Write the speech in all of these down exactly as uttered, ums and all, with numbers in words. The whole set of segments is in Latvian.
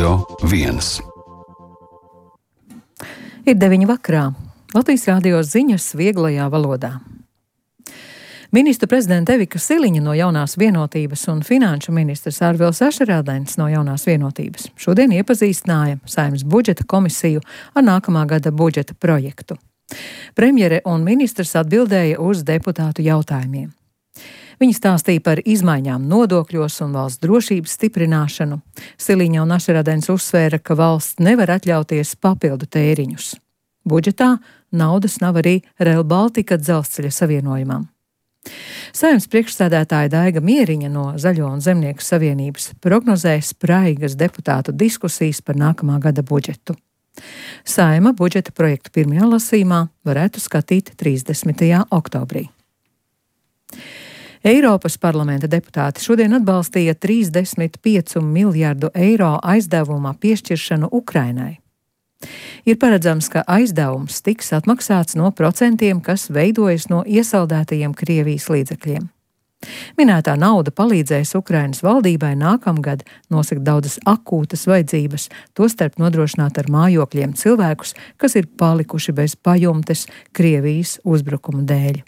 Radio viens. Ir deviņi vakarā. Latvijas Rādio ziņas vieglajā valodā. Ministru prezidenta Evika Siliņa no Jaunās vienotības un finanšu ministrs Arvils Ašerādens no Jaunās vienotības šodien iepazīstināja Saeimas budžeta komisiju ar nākamā gada budžeta projektu. Premjere un ministrs atbildēja uz deputātu jautājumiem. Viņi stāstīja par izmaiņām nodokļos un valsts drošības stiprināšanu. Siliņa un Ašerādens uzsvēra, ka valsts nevar atļauties papildu tēriņus. Budžetā naudas nav arī Rail Baltica dzelzceļa savienojumam. Saeimas priekšsēdētāja Daiga Mieriņa no Zaļo un Zemnieku savienības prognozē spraigas deputātu diskusijas par nākamā gada budžetu. Saeima budžeta projektu pirmajā lasījumā varētu skatīt trīsdesmitajā oktobrī. Eiropas parlamenta deputāti šodien atbalstīja trīsdesmit piecu miljardu eiro aizdevuma piešķiršanu Ukrainai. Ir paredzams, ka aizdevums tiks atmaksāts no procentiem, kas veidojas no iesaldētajiem Krievijas līdzekļiem. Minētā nauda palīdzēs Ukrainas valdībai nākamgad nosegt daudzas akūtas vajadzības, tostarp nodrošināt ar mājokļiem cilvēkus, kas ir palikuši bez pajumtes Krievijas uzbrukuma dēļ.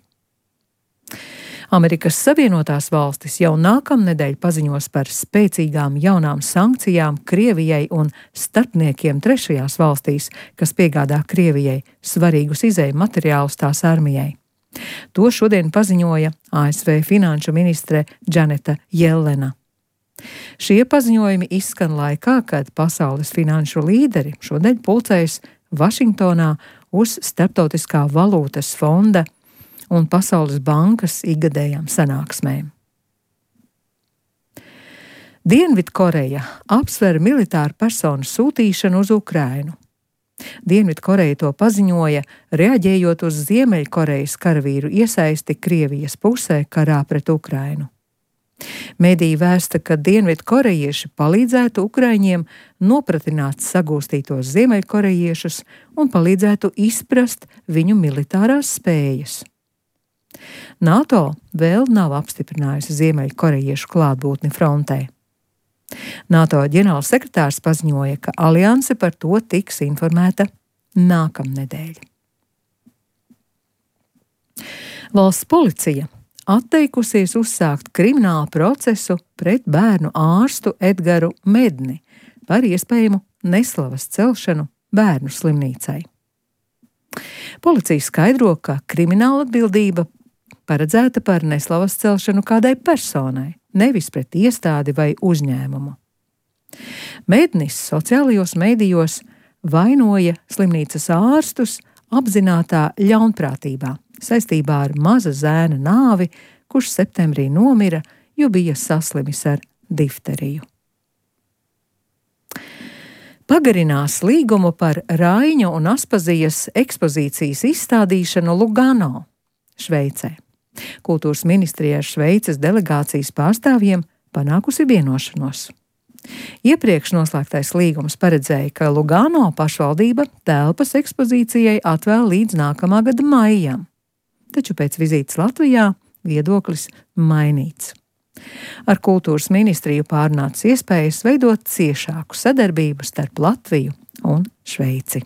Amerikas Savienotās valstis jau nākamnedēļ paziņos par spēcīgām jaunām sankcijām Krievijai un starpniekiem trešajās valstīs, kas piegādā Krievijai svarīgus izēju materiālus tās armijai. To šodien paziņoja A S V finanšu ministre Džaneta Jellena. Šie paziņojumi izskan laikā, kad pasaules finanšu līderi šodien pulcējas Vašingtonā uz Starptautiskā valūtas fonda un Pasaules bankas ikgadējām sanāksmēm. Dienvidkoreja apsver militāru personu sūtīšanu uz Ukrainu. Dienvidkoreja to paziņoja, reaģējot uz Ziemeļkorejas karavīru iesaisti Krievijas pusē karā pret Ukrainu. Mediji vēsta, ka dienvidkorejieši palīdzētu ukraiņiem nopratināt sagūstītos ziemeļkorejiešus un palīdzētu izprast viņu militārās spējas. NATO vēl nav apstiprinājusi ziemeļkorejiešu klātbūtni frontē. NATO ģenerālsekretārs paziņoja, ka alianse par to tiks informēta nākamnedēļ. Valsts policija atteikusies uzsākt kriminālu procesu pret bērnu ārstu Edgaru Medni par iespējamu neslavas celšanu bērnu slimnīcai. Policija skaidro, ka krimināla atbildība paredzēta par neslavas celšanu kādai personai, nevis pret iestādi vai uzņēmumu. Mednis sociālajos medijos vainoja slimnīcas ārstus apzinātā ļaunprātībā saistībā ar maza zēna nāvi, kurš septembrī nomira, jo bija saslimis ar difteriju. Pagarinās līgumu par Raiņu un Aspazijas ekspozīcijas izstādīšanu Lugano, Šveicē. Kultūras ministrijā ar Šveices delegācijas pārstāvjiem panākusi vienošanos. Iepriekš noslēgtais līgums paredzēja, ka Lugano pašvaldība telpas ekspozīcijai atvēl līdz nākamā gada maijam, taču pēc vizītes Latvijā viedoklis mainīts. Ar kultūras ministriju pārnāca iespējas veidot ciešāku sadarbību starp Latviju un Šveici.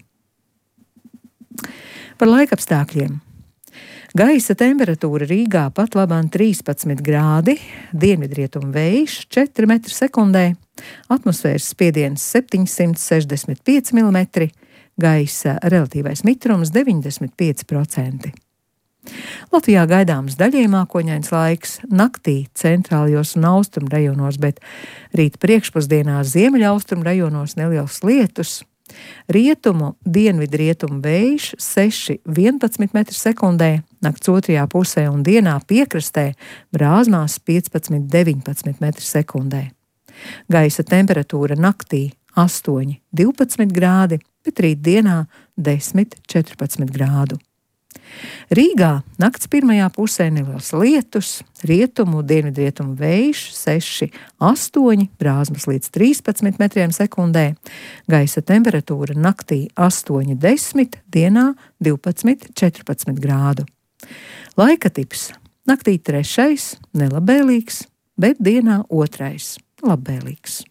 Par laikapstākļiem. Gaisa temperatūra Rīgā pat labāk trīspadsmit grādi, dienvidrietumu vējš četri metri sekundē, atmosfēras spiediens septiņsimt sešdesmit pieci milimetri, gaisa relatīvais mitrums deviņdesmit pieci procenti. Latvijā gaidāms daļēji mākoņains laiks, naktī centrālajos un austrumu rajonos, bet rīt priekšpusdienā ziemeļaustrumu rajonos neliels lietus. Rietumu, dienvidrietumu vējš seši vienpadsmit metri sekundē, nakts otrajā pusē un dienā piekrastē brāzmās piecpadsmit deviņpadsmit metri sekundē. Gaisa temperatūra naktī astoņi divpadsmit grādi, bet rīt dienā desmit četrpadsmit grādu. Rīgā nakts pirmajā pusē neliels lietus, rietumu, dienvidrietumu vējš seši astoņi, brāzmas līdz trīspadsmit metriem sekundē, gaisa temperatūra naktī astoņi desmit, dienā divpadsmit četrpadsmit grādu. Laika tips naktī trešais, nelabēlīgs, bet dienā otrais, labēlīgs.